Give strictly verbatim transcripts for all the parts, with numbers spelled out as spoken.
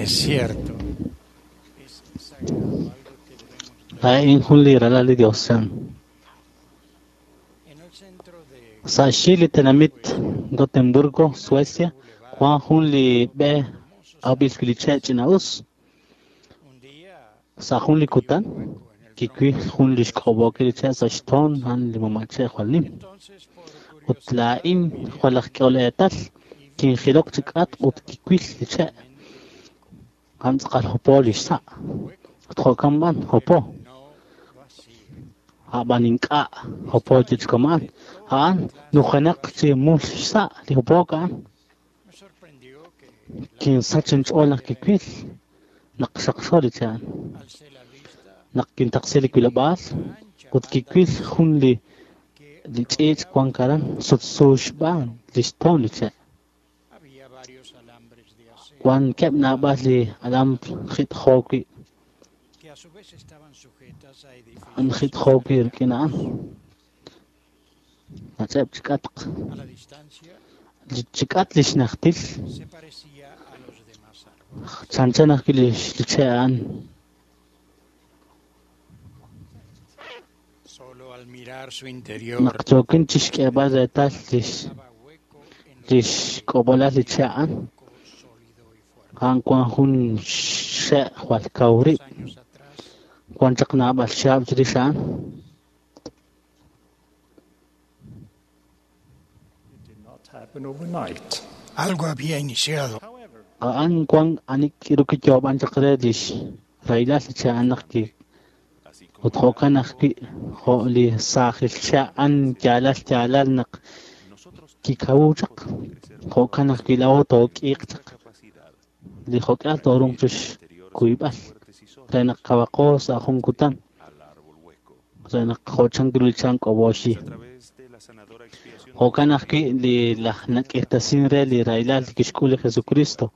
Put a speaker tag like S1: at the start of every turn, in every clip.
S1: Es cierto. Es sagrado, algo que debemos
S2: Laa'in jun li ralal li Dios chan.
S1: En el centro de
S2: Sa' xyi li tenamit Gotemburgo, Suecia, wan jun li b'e awb'il wi' li che' ch'ina'us.
S1: un día
S2: Sa' jun li kutan,
S1: hueco en el
S2: kiwil jun li xk'ob'ookil li che' sa' xtoon a'an li mama' che' jwal nim.
S1: Entonces, por
S2: Ut laa'in jwal aj k'ehol eetal, kinjilok chi k'atq ut kiwil li che'. A'an tz'aqal hopo li xsa'. Ut jo'kan b'an hopo.
S1: no vacío.
S2: A'b'an ink'a' hopo chik a'an. A'an nujenaq chi mul xsa' li hopook a'an.
S1: Me sorprendió que
S2: Kinsach inch'ool naq kiwil naq xaqxo li che' a'an.
S1: alcé la vista
S2: Naq kintaqsi li wilob'aal
S1: ancha
S2: ut kiwil jun li
S1: que
S2: li ch'iich' wan aran sutsu xb'aan li xtoon li che'.
S1: había varios alambres de acero
S2: Wankeb' naab'al li alambre jit'jo wi'
S1: que a su vez estaban sujetas a
S2: an
S1: edificios
S2: jit'jo wi' rik'in a'an. Nach'eb' chi k'atq.
S1: a la distancia
S2: Li chi k'atq li xnajtil
S1: se parecía a los demás árboles.
S2: chanchan ajwi' li li che' a'an.
S1: Solo al mirar su interior
S2: Naq yookin chixk'eeb'al reetal lix
S1: estaba hueco en lo
S2: lix k'ob'olal li che' a'an,
S1: poco sólido y fuerte.
S2: a'an wan jun xe' jwal kaw rib'.
S1: Años atrás
S2: Wan chaq naab'al xaab' chirix a'an.
S3: It did not happen overnight.
S1: algo había iniciado.
S3: However,
S2: A'an wan ani k'iru kiyoob'an chaq re lix rahilal li che' a'an naq ki ut jo'kan ajwi' jo' li saajil che' a'an yaalal yaalal naq kikawu chaq. Jo'kan ajwi' laa'o took'iiq chaq li jo'k'al toorunq chixkuyb'al re naq kawaqo sa' jun kutan re naq jo'chan kiru li chan k'ob'oxi. Jo'kan ajwi' li laj nak'irtasin re li rahilal li kixk'ul li Jesucristo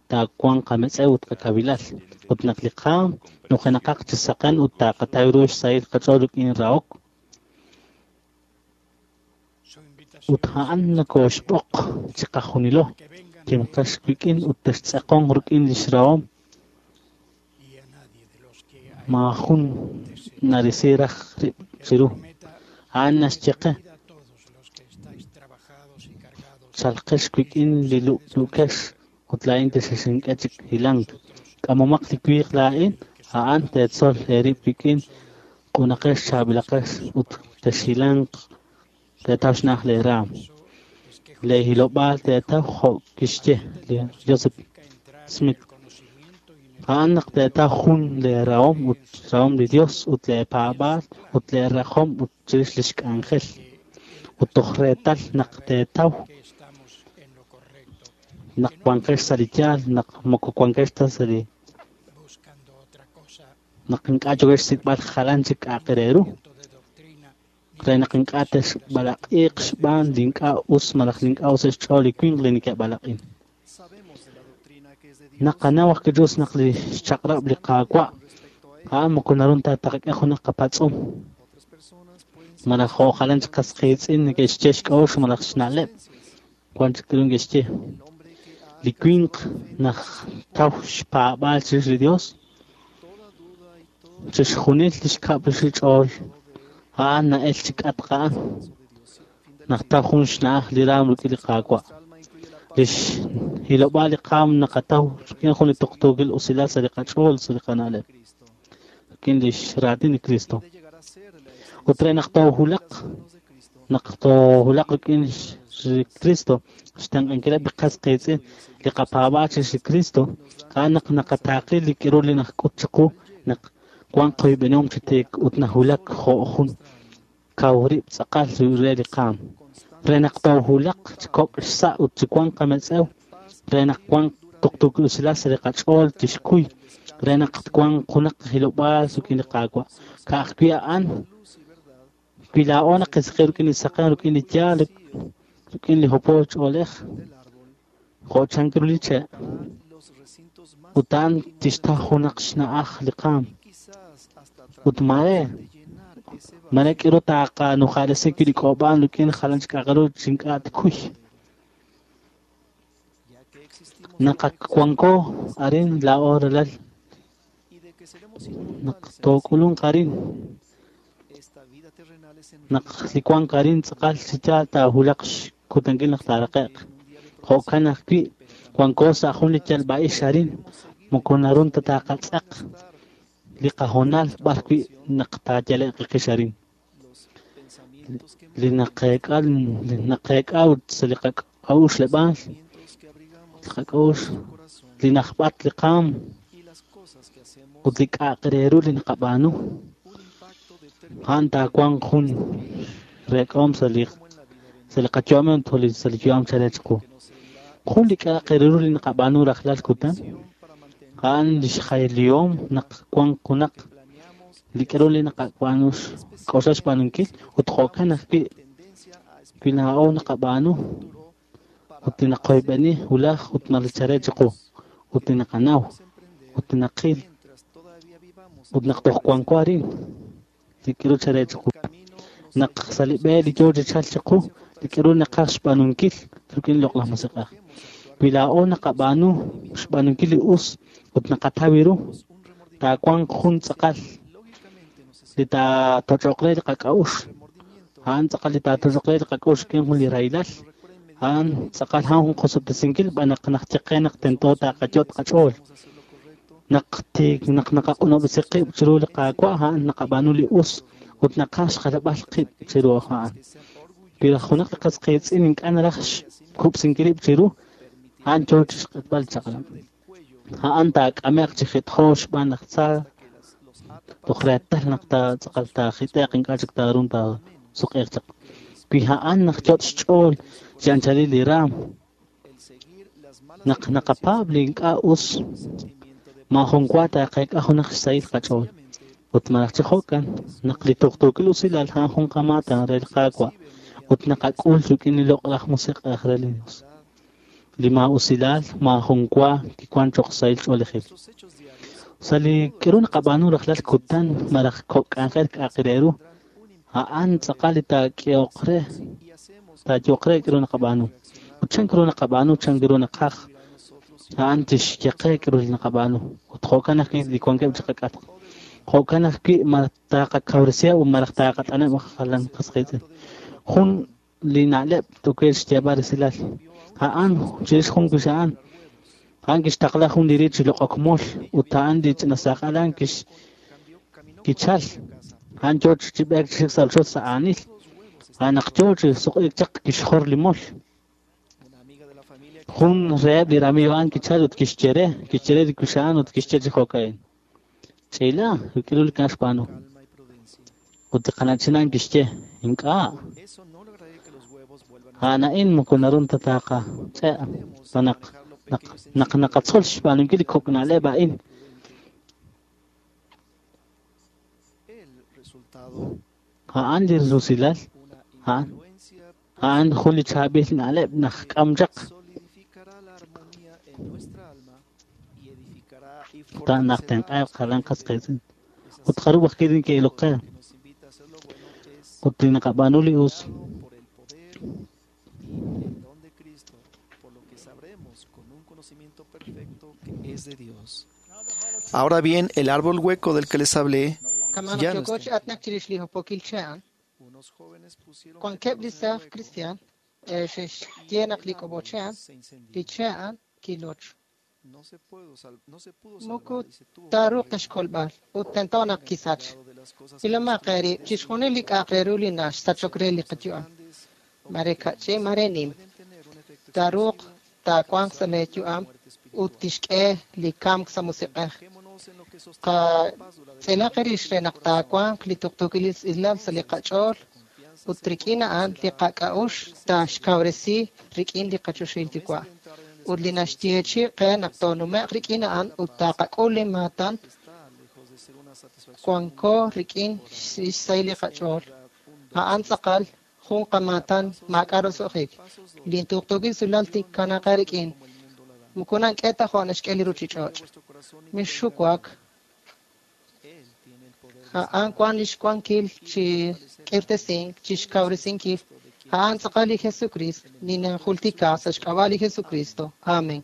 S2: taawanq qametz'ew ut qakawilal ut naq li qaam nujenaqaq chi saqen ut taaqataw ru xsahil qach'ool rik'in rahok
S1: Su invitación
S2: ut a'an nakooxb'oq chiqajunilo
S1: que vengan
S2: kimqax wik'in ut textz'eqon rik'in lix rahom
S1: y a nadie de los que a él
S2: maajun narisi raj rib' chiru.
S1: prometa
S2: A'an naxye qe
S1: venid a todos los que estáis trabajados y cargados
S2: chalqex wik'in li lu'lu'kex ut laa'in texink'e chik hilank. K'amomaq li wiiq laa'in a'an teetzol eerib' wik'in q'unaqex chaab'ilaqex ut texhilanq teetaw xna'aj lee raam.
S1: es que
S2: Lee hilob'aal teetaw jo' kixye li Joseph
S1: entrar en
S2: Smith.
S1: el conocimiento y en el
S2: A'an naq teetaw jun lee rahom ut rahom li Dios ut lee paab'aal ut lee rajom ut chirix lix k'anjel. Ut toj reetal naq teetaw
S1: que estamos en lo correcto,
S2: naq wanqex sa' li yaal naq moko wanqex ta sa' li
S1: buscando otra cosa,
S2: naq ink'a' yo'kex xsik'b'al jalan chik k'a'aq re ru
S1: de doctrina, ni
S2: re naq ink'a' texb'alaq'iiq xb'aan li ink'a' us malaj li ink'a' us xch'ool li winq li neke'b'alaq'in.
S4: Sabemos de la doctrina que es de Dios
S2: Naqanaw ajwi' Dios naq li xchaq'rab' li Qaawa'
S4: con respecto a él.
S2: a'an moko naru ta taqak'e junaq qapatz'um
S4: Otras personas pueden
S2: malaj jo' jalan chik qas qiitz'in neke'xye xk'a'uxl malaj xna'leb' wan chik k'aru neke'xye.
S4: El hombre que ha
S2: Li winq
S4: alcanzado la fe
S2: naj taw xpaab'aal chirix li Dios
S4: toda duda y todo
S2: chixjunil li xkab' rix li ch'ool a'an na'el chi k'atq a'an
S4: descanso de Dios. Fin de la
S2: naq
S4: cita.
S2: taw jun xna'aj li raam rik'in li Qaawa'.
S4: Nuestra alma incluye la paz
S2: Lix hilob'aal li qaam naqataw rik'in jun li tuqtuukil usilal sa' li qach'ool sa' li qana'leb'
S4: de Cristo.
S2: rik'in lix raatin li Cristo.
S4: De llegar a ser la
S2: Ut re naq toohulaq
S4: extensión de las manos de Cristo.
S2: naq toohulaq rik'in li Cristo xtenq'ankileb' li qas qiitz'in li qapaab'aal chirix li Cristo a'an naq naqataaqi li k'aru li najk'ut chiqu naq wan qoyb'enihom chi tiik ut nahulak jo' jun kaw rib' tz'aqal re li qaam re naq toohulaq chi kok' xsa' ut chi wan qametz'ew re naq wan tuqtuukil usilal sa' li qach'ool tixkuy re naq wan junaq hilob'aal rik'in li Qaawa' ka'ajwi' a'an
S4: Luz y verdad
S2: wi laa'o naqisqi rik'in li saqen rik'in li yaal rik'in li hopool ch'oolej
S4: del árbol
S2: jo' chan ru li che'
S4: tocará los recintos más
S2: ut a'an
S4: íntimos de
S2: tixtaw junaq xna'aj li qaam
S4: y quizás hasta
S2: ut mare
S4: tratar de llenar ese
S2: mare
S4: vacío
S2: k'aru taaqanujaalesi wi' li k'ob'aan rik'in jalan chik k'a'aq ru chi ink'a' tkuy
S4: ya que existimos
S2: Naq ak wanko arin laa'o ralal naq took'ulunq arin naq li wank arin tz'aqal chi yaal taahulaq xkutankil naq taaraqe'q. Jo'kan ajwi' wanko sa' jun li yalb'a'ix arin moko naru ta taqatz'aq li qahoonal b'arwi' naq taayale'q qix arin. Li naqeek'a li naqeek'a ut sa' li qak'a'uxleb'aal li qak'a'uxl li najb'at li qaam ut li k'a'aq re ru li naqab'aanu a'an taawanq jun reek'ahom sa' li sa' li qayu'am ut sa' li yu'am chalen chiqu. Jun li k'a'aq re ru li naqab'aanu rajlal kutan a'an li xjaylihom naq wanq junaq li k'aru li naqab'aanu xk'oxla xb'aanunkil ut jo'kan ajwi' wi laa'o naqab'aanu ut li naqoyb'eni wulaj ut malachare chiqu ut li naqanaw ut li naqil ut naq toj wanko arin li k'aru chare chiqu naq sa' li b'e li yoo chi chalk chiqu li k'aru naqaj xb'aanunkil rik'in loq'laj musiq'ej. Wi laa'o naqab'aanu xb'aanunkil li us ut naqataw ru taawanq jun tz'aqal li taatoch'oq re li qak'a'uxl a'an tz'aqal li taatoch'oq re li qak'a'uxl rik'in jun li rahilal a'an tz'aqal a'an jun qosob'tesinkil b'an naq najye qe naq tento taqayot' qach'ool naq tiik naq naqaq'unob'resi qib' chiru li Qaawa' a'an naqab'aanu li us ut naqaj xjalb'al qib' chiru a'an. Wi junaq li qas qiitz'in ink'a' naraj xkub'sinkil rib' chiru a'an yoo chi xq'etb'al chaq'rab'. A'an taak'ame'q chi jit'jo xb'aan laj tza toj reetal naq tz'aqal taajit'e'q ink'a' chik taarun taasuq'iiq chaq. Wi a'an najyot' xch'ool chi anchalil li raam naq naqapaab' li ink'a' us maajun wa taaqeek'a junaq xsahil qach'ool. Ut malaj chi jo'kan naq li tuqtuukil usilal a'an jun qamaatan re li Qaawa' ut naqak'ul rik'in li loq'laj musiq'ej re li Dios. Li maa'usilal maajun wa kiwan cho'q sahil ch'oolejil. Sa' li k'aru naqab'aanu rajlal kutan malaj kok' k'anjel k'a'aq re ru a'an tz'aqal li taak'ehoq re taayo'q re k'aru naqab'aanu. Ut chan k'aru naqab'aanu chan k'aru naqaj a'an tixye qe k'aru li naqab'aanu. Ut jo'kan ajwi' li wankeb' chi qak'atq. Jo'kan ajwi' malaj taqakawresiheb' ut malaj taqat'aneb' jalan qas qiitz'in. Jun li na'leb' tokel xyeeb'al resilal a'an chirix jun wix a'an a'an kixtaqla jun li riit chi loq'ok mol ut a'an li ch'ina saq'al a'an kix kichal a'an yoo chi b'eek chi xik sa' rochoch sa' aanil a'an naq yoo chi suq'iik chaq kixjor li mol. Jun reheb' li ramiiw a'an kichal ut kixye re kixye re li wix a'an ut kixye chi jo'ka'in ch'ila rik'in li k'a' xb'aanu. Ut li qana'chin a'an kixye ink'a' a'an a'in moko naru ta taqach'e' naq naq naq naqatzol xb'aanunkil li kok' na'leb' a'in. A'an li rusilal a'an a'an jun li chaab'il na'leb' naq k'am chaq ta naq tenq'aeb' jalan qas qiitz'in ut jarub' ajwi' neke'ilok qe ut li naqab'aanu li us
S4: Ahora bien, el árbol hueco del que les hablé
S5: Kama'an
S4: ya no
S5: yooko
S4: está.
S5: chi aatinak chirix li hopokil che' a'an.
S4: Unos jóvenes pusieron
S5: Wankeb' li
S4: pétalos en el
S5: saaj
S4: hueco
S5: cristian eh, xe'xye naq li
S4: el
S5: k'ob'o
S4: árbol
S5: che' a'an,
S4: se incendió.
S5: li che' a'an kiloch.
S4: No se pudo sal- no se pudo
S5: Moko
S4: salvar y se tuvo que
S5: taaruuq
S4: derribar.
S5: ta xkolb'al ut tento naq
S4: Tengan
S5: kisach.
S4: cuidado de las cosas que
S5: Ilomaq
S4: destruyen
S5: eerib' chixjunil li k'a'aq re ru li naxsachok re li
S4: sean
S5: qayu'am.
S4: grandes o
S5: Mare kach'i,
S4: pequeñas,
S5: mare nim.
S4: pueden tener un efecto
S5: Taaruuq
S4: explosivo y
S5: taawanq sa'
S4: causar la
S5: leeyu'am
S4: muerte
S5: ut
S4: espiritual.
S5: tixk'e li kamk sa' musiq'ej.
S4: Fijémonos en lo que sostiene la paz duradera
S5: Qatz'ilaq rix re
S4: en el
S5: naq
S4: corazón.
S5: taawanq li tuqtuukil usilal sa' li qach'ool
S4: Entonces, nuestra confianza
S5: ut
S4: se
S5: rik'in a'an li
S4: fortalecerá en la
S5: qak'a'uxl
S4: presencia de Dios.
S5: taaxkawresi rik'in li qachoxahil
S4: La promesa
S5: Yuwa'.
S4: de entrar en el
S5: Ut li
S4: descanso del
S5: naxyeechi'
S4: Señor
S5: qe naq
S4: y recibir
S5: toonume'q rik'in a'an
S4: la
S5: ut
S4: paz
S5: taqak'ul li maatan
S4: está lejos de ser una satisfacción
S5: wanko
S4: mundana
S5: rik'in
S4: temporal.
S5: xsahil li
S4: Es en
S5: qach'ool.
S4: verdad un don
S5: A'an tz'aqal
S4: celestial.
S5: jun qamaatan
S4: Pasos
S5: maak'a'
S4: doy,
S5: roso'jik.
S4: pasos doy.
S5: Li tuqtuukil usilal
S4: Yo no
S5: tikanaqa
S4: os doy
S5: rik'in.
S4: como el mundo la da.
S5: Moko nank'e ta jo' naxk'e li
S4: No se turbe
S5: ruchich'och'.
S4: vuestro corazón ni
S5: Mixxuwak
S4: tenga miedo. Él tiene el poder de
S5: a'an
S4: sanar
S5: wan lix wankil
S4: y de
S5: chi
S4: fortalecer.
S5: k'irtesink, chi
S4: Él es
S5: xkawresinkil.
S4: Jesucristo de quien
S5: A'an
S4: les
S5: tz'aqal li
S4: hablé.
S5: Jesucristo,
S4: En el nombre de
S5: ninajultika sa'
S4: Jesucristo.
S5: xk'ab'a' li
S4: Amén.
S5: Jesucristo. Amén.